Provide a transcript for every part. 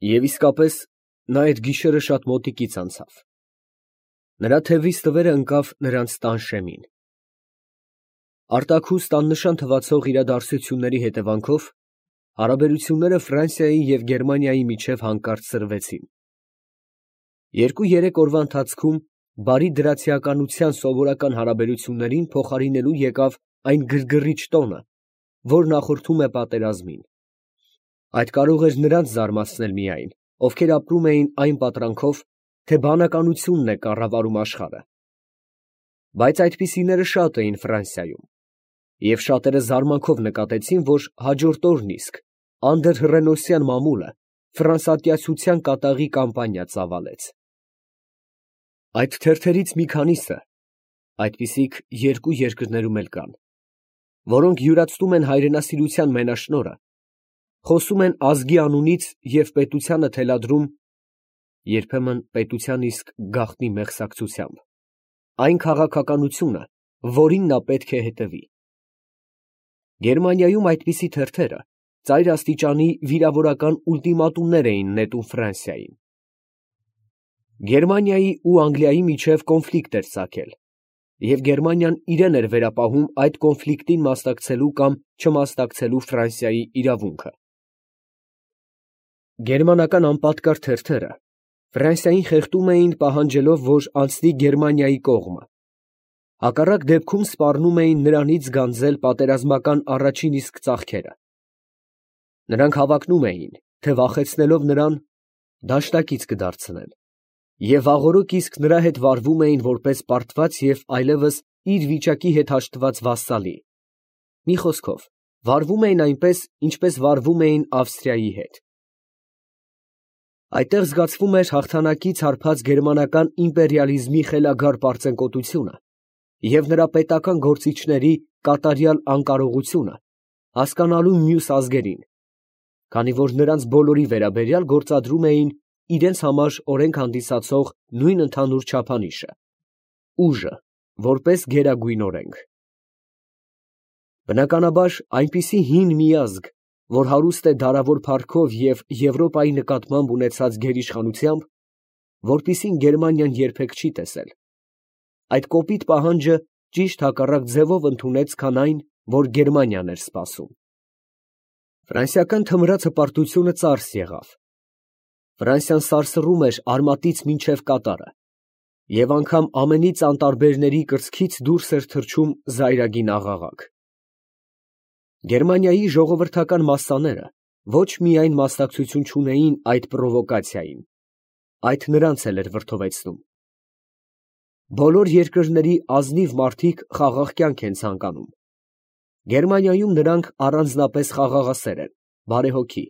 Եվ իսկապես, նա այդ գիշերը շատ մոտիկից անցավ. նրա թևից թվերը ընկավ նրանց տան շեմին։ Արտաքուստ աննշան թվացող իրադարձությունների հետևանքով հարաբերությունները Ֆրանսիայի և Գերմանիայի միջև հանկարծ սրվեցին։ 2-3 օրվա ընթացքում բարի դրացիականության սովորական հարաբերություններին փոխարինելու եկավ այն գրգռիչ տոնը, որ նախորդում է պատերազմին։ Այդ կարող էր նրանց զարմացնել միայն, ովքեր ապրում էին այն պատրանքով, թե բանականությունն է կառավարում աշխարհը։ Բայց այդպիսիները շատ էին Ֆրանսիայում, և շատերը զարմանքով նկատեցին, որ հաջորդ օրն իսկ անդրհռենոսյան մամուլը ֆրանսատյացության կատաղի կամպանիա ծավալեց։ Այդ թերթերից մի քանիսը, այդպիսիք երկու երկրներում էլ կան, որոնք յուրացնում են հայրենասիրության մենաշնորհը, խոսում են ազգի անունից և պետությանը թելադրում, երբեմն պետության իսկ գաղտնի մեղսակցությամբ, այն քաղաքականությունը, որին նա պետք է հետևի։ Գերմանիայում այդպիսի թերթերը ծայր աստիճանի վիրավորական ուլտիմատումներ էին նետում Ֆրանսիային։ Գերմանիայի ու Անգլիայի միջև կոնֆլիկտ էր ծագել, և Գերմանիան իրեն էր վերապահում այդ կոնֆլիկտին մասնակցելու կամ չմասնակցելու Ֆրանսիայի իրավունքը։ Գերմանական անպատկար թերթերը Ֆրանսիային խեղդում էին, պահանջելով, որ անցնի Գերմանիայի կողմը, հակառակ դեպքում սպառնում էին նրանից գանձել պատերազմական առաջին իսկ ծախքերը։ Նրանք հավակնում էին, թե վախեցնելով նրան, դաշնակից կդարձնեն, և վաղօրոք իսկ նրա հետ վարվում էին որպես պարտված և այլևս իր վիճակի հետ հաշտված վասսալի, մի խոսքով, վարվում էին այնպես, ինչպես վարվում էին Ավստրիայի հետ։ Այդտեղ զգացվում էր հաղթանակից հարբած գերմանական իմպերիալիզմի խելագար պարծենկոտությունը և նրա պետական գործիչների կատարյալ անկարողությունը հասկանալու մյուս ազգերին, քանի որ նրանց բոլորի վերաբերյալ գործադրում էին իրենց համար օրենք հանդիսացող նույն ընդհանուր չափանիշը՝ ուժը, որպես գերագույն օրենք։ Բնականաբար, այնպիսի հին մի ազգ, որ հարուստ է դարավոր փառքով և Եվրոպայի նկատմամբ ունեցած գերիշխանությամբ, որպիսին Գերմանիան երբեք չի տեսել, այդ կոպիտ պահանջը ճիշտ հակառակ ձևով ընդունեց, քան այն, որ Գերմանիան էր սպասում։ Ֆրանսիական թմրած հպարտությունը ծարս եղավ։ Ֆրանսիան սարսռում էր արմատից մինչև կատարը, և անգամ ամենից անտարբերների կրծքից դուրս էր թռչում զայրագին աղաղակ։ Գերմանիայի ժողովրդական մասսաները ոչ միայն մասնակցություն չունեին այդ պրովոկացիային, այդ նրանց էլ էր վրդովեցնում։ Բոլոր երկրների ազնիվ մարդիկ խաղաղ կյանք են ցանկանում։ Գերմանիայում նրանք առանձնապես խաղաղասեր են, բարեհոգի,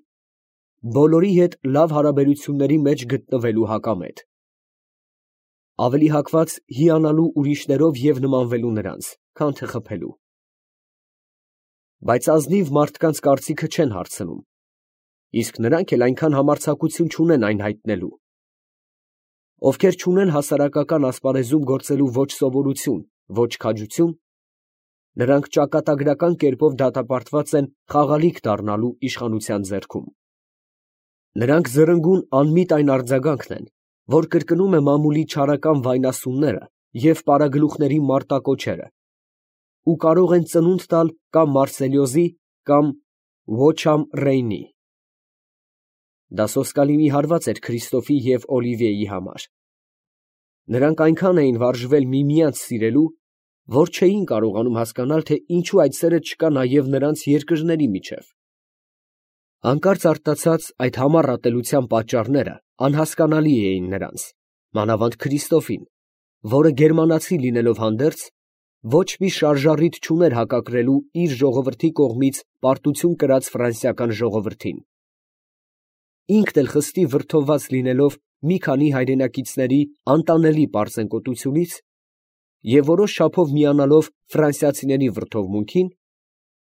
բոլորի հետ լավ հարաբերությունների մեջ գտնվելու հակամետ, ավելի հակված հիանալու ուրիշներով և նմանվելու նրանց, քան թե խփելու։ Բայց ազնիվ մարդկանց կարծիքը չեն հարցնում, իսկ նրանք էլ այնքան համարձակություն չունեն այն հայտնելու։ Ովքեր չունեն հասարակական ասպարեզում գործելու ոչ սովորություն, ոչ քաջություն, նրանք ճակատագրական կերպով դատապարտված են խաղալիք դառնալու իշխանության ձեռքում։ Նրանք զրնգուն անմիտ այն արձագանքն են, որ կրկնում է մամուլի չարական վայնասունները և պարագլուխների մարտակոչերը, ու կարող են ծնունդ տալ կամ Մարսելիոզի, կամ Ոչամ Ռեյնի։ Դա սոսկալի մի հարված էր Քրիստոֆի և Օլիվիեի համար։ Նրանք այնքան էին վարժվել միմյանց սիրելու, որ չէին կարողանում հասկանալ, թե ինչու այդ սերը չկա նաև նրանց երկրների միջև։ Հանկարծ արտացած այդ համառ ատելության պատճառները անհասկանալի էին նրանց, մանավանդ Քրիստոֆին, որը գերմանացի լինելով հանդերձ, ոչ մի շարժառիթ չուներ հակակրելու իր ժողովրդի կողմից պարտություն կրած ֆրանսիական ժողովրդին։ Ինքն էլ խստի վրդովված լինելով մի քանի հայրենակիցների անտանելի պարծենկոտությունից և որոշ չափով միանալով ֆրանսիացիների վրդովմունքին,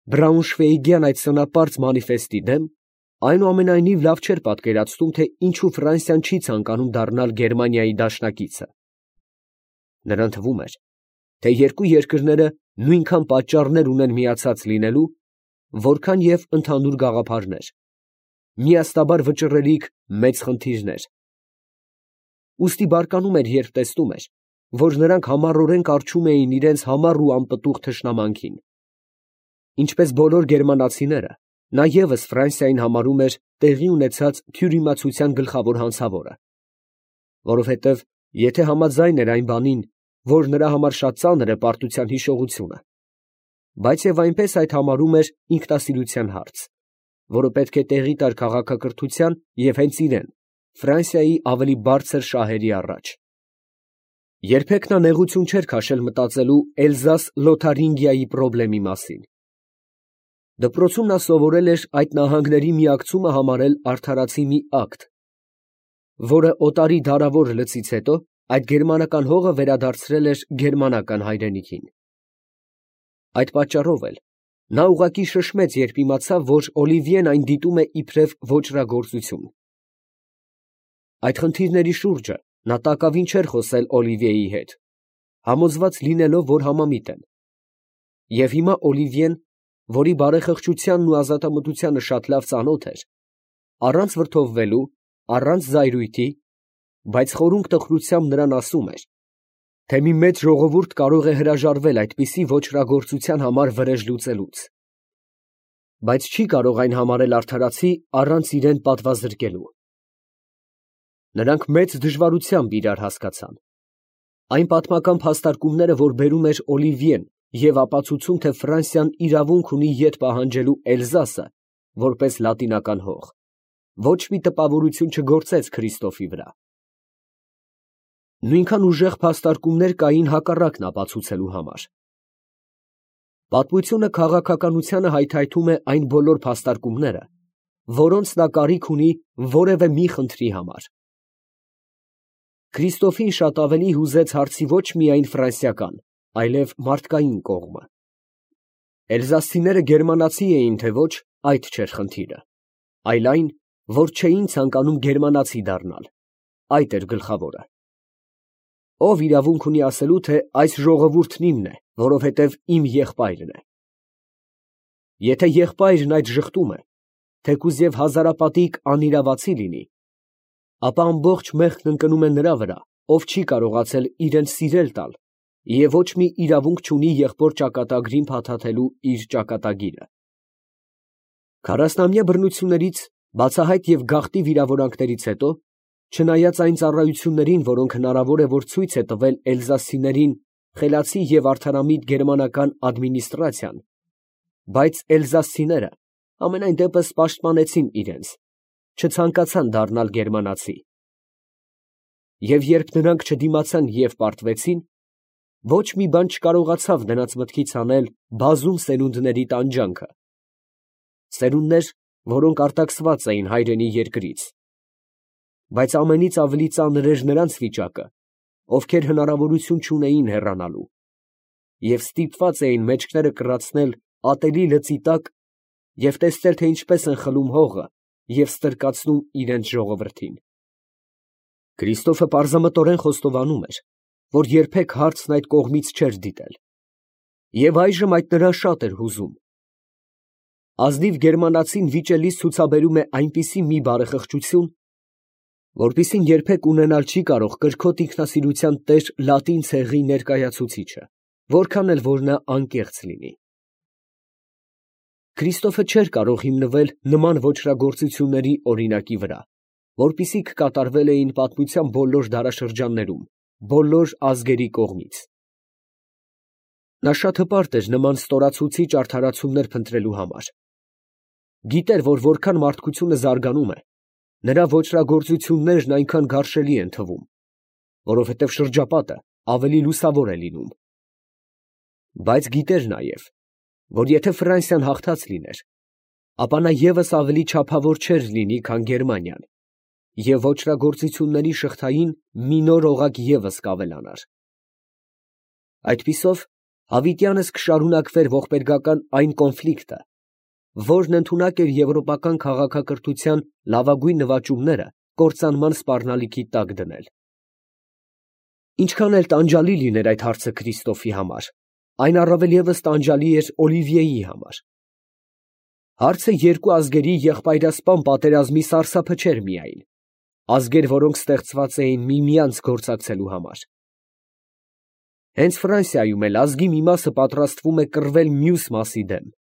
Բրաունշվեիգյան այդ սնապարծ մանիֆեստի դեմ, այնուամենայնիվ լավ չէր պատկերացնում, թե ինչու Ֆրանսիան չի ցանկանում դառնալ Գերմանիայի դաշնակիցը։ Նրան թվում էր, թե երկու երկրները նույնքան պատճառներ ունեն միացած լինելու, որքան և ընդհանուր գաղափարներ, միաստաբար վճռելիք մեծ խնդիրներ։ Ուստի բարկանում էր, երբ տեսնում էր, որ նրանք համառորեն կառչում էին իրենց համառ ու անպտուղ թշնամանքին։ Ինչպես բոլոր գերմանացիները, նա ևս Ֆրանսիային համարում էր տեղի ունեցած թյուրիմացության գլխավոր հանցավորը, որովհետև եթե համաձայն էր այն բանին, որ նրա համար շատ ծանր է պարտության հիշողությունը, բայց և այնպես այդ համարում էր ինքնասիրության հարց, որը պետք է տեղի տար քաղաքակրթության և հենց իրեն, Ֆրանսիայի ավելի բարձր շահերի առաջ։ Երբեք նա նեղություն չէր քաշել մտածելու Էլզաս֊Լոթարինգիայի պրոբլեմի մասին։ Դպրոցում նա սովորել էր այդ նահանգների միակցումը համարել արդարացի մի ակտ, որը օտարի դարավոր լծից հետո այդ գերմանական հողը վերադարձրել էր գերմանական հայրենիքին։ Այդ պատճառով էլ նա ուղղակի շշմեց, երբ իմացավ, որ Օլիվիեն այն դիտում է իբրև ոճրագործություն։ Այդ խնդիրների շուրջը նա տակավին չէր խոսել Օլիվիեի հետ, համոզված լինելով, որ համամիտ են։ Եվ հիմա Օլիվիեն, որի բարեխղճությանն ու ազատամտությանը շատ լավ ծանոթ էր, առանց վրդովվելու, առանց զայրույթի, բայց խորունկ տխրությամբ նրան ասում էր, թե մի մեծ ժողովուրդ կարող է հրաժարվել այդպիսի ոճրագործության համար վրեժ լուծելուց, բայց չի կարող այն համարել արդարացի առանց իրան պատվազրկելու։ Նրանք մեծ դժվարությամբ իրար հասկացան։ Այն պատմական փաստարկումները, որ բերում էր Օլիվիեն, և ապացուցում, թե Ֆրանսիան իրավունք ունի ետ պահանջելու Էլզասը, որպես լատինական հող, ոչ մի տպավորություն չգործեց Քրիստոֆի վրա։ Նույնքան ուժեղ փաստարկումներ կային հակառակն ապացուցելու համար։ Պատմությունը քաղաքականությանը հայթայթում է այն բոլոր փաստարկումները, որոնց նա կարիք ունի որևէ մի խնդրի համար։ Քրիստոֆին շատ ավելի հուզեց հարցի ոչ միայն ֆրանսիական, այլև մարդկային կողմը։ Էլզասցիները գերմանացի էին, թե ոչ, այդ չէր խնդիրը, այլ այն, որ չէին ցանկանում գերմանացի դառնալ, այդ էր գլխավորը։ Ով իրավունք ունի ասելու, թե այս ժողովուրդն իմն է, որովհետև իմ եղբայրն է։ Եթե եղբայրն այդ ժխտում է, թեկուզ և հազարապատիկ անիրավացի լինի, ապա ամբողջ մեղքն ընկնում է նրա վրա, ով չի կարողացել իրեն սիրել տալ և ոչ մի իրավունք չունի եղբոր ճակատագրին փաթաթելու իր ճակատագիրը։ 40-ամյա բռնություններից, բացահայտ և գաղտնի վիրավորանքներից հետո, չնայած այն ծառայություններին, որոնք հնարավոր է, որ ցույց է տվել էլզասցիներին խելացի և արդարամիտ գերմանական ադմինիստրացիան, բայց էլզասցիները համենայն դեպս պաշտպանեցին իրենց, չցանկացան դառնալ գերմանացի։ Եվ երբ նրանք չդիմացան և պարտվեցին, ոչ մի բան չկարողացավ նրանց մտքից հանել բազում սերունդների տանջանքը, սերունդներ, որոնք արտաքսված էին հայրենի երկրից, բայց ամենից ավելի ծանր էր նրանց վիճակը, ովքեր հնարավորություն չունեին հեռանալու և ստիպված էին մեջքները կռացնել ատելի լծի տակ և տեսնել, թե ինչպես են խլում հողը և ստրկացնում իրենց ժողովրդին։ Քրիստոֆը պարզամտորեն խոստովանում էր, որ երբեք հարցն այդ կողմից չէր դիտել, և այժմ այդ նրան շատ էր հուզում։ Ազնիվ գերմանացին վիճելիս ցուցաբերում է այնպիսի մի բարեխղճություն, որպիսին երբեք ունենալ չի կարող կրքոտ ինքնասիրության տեր լատին ցեղի ներկայացուցիչը, որքան էլ որ նա անկեղծ լինի։ Քրիստոֆը չէր կարող հիմնվել նման ոճրագործությունների օրինակի վրա, որպիսիք կատարվել էին պատմության բոլոր դարաշրջաններում, բոլոր ազգերի կողմից։ Նա շատ հպարտ էր նման ստորացուցիչ արդարացումներ փնտրելու համար։ Գիտեր, որ որքան մարդկությունը զարգանում է, նրա ոճրագործություններն այնքան գարշելի են թվում, որովհետև շրջապատը ավելի լուսավոր է լինում։ Բայց գիտեր նաև, որ եթե Ֆրանսիան հաղթած լիներ, ապա նա ևս ավելի չափավոր չէր լինի, քան Գերմանիան, և ոճրագործությունների շղթային մի նոր օղակ ևս կավելանար։ Այդպիսով հավիտյանս կշարունակվեր ողբերգական այն կոնֆլիկտը, որն ընդունակ էր եվրոպական քաղաքակրթության լավագույն նվաճումները կործանման սպառնալիքի տակ դնել։ Ինչքան էլ տանջալի լիներ այդ հարցը Քրիստոֆի համար, այն առավել ևս տանջալի էր Օլիվիեի համար։ Հարցը երկու ազգերի եղբայրասպան պատերազմի սարսափը չէր միայն, ազգեր, որոնք ստեղծված էին միմյանց գործակցելու համար։ Հենց Ֆրանսիայում էլ ազգի մի մասը պատրաստվում է կռվել մյուս մասի դեմ։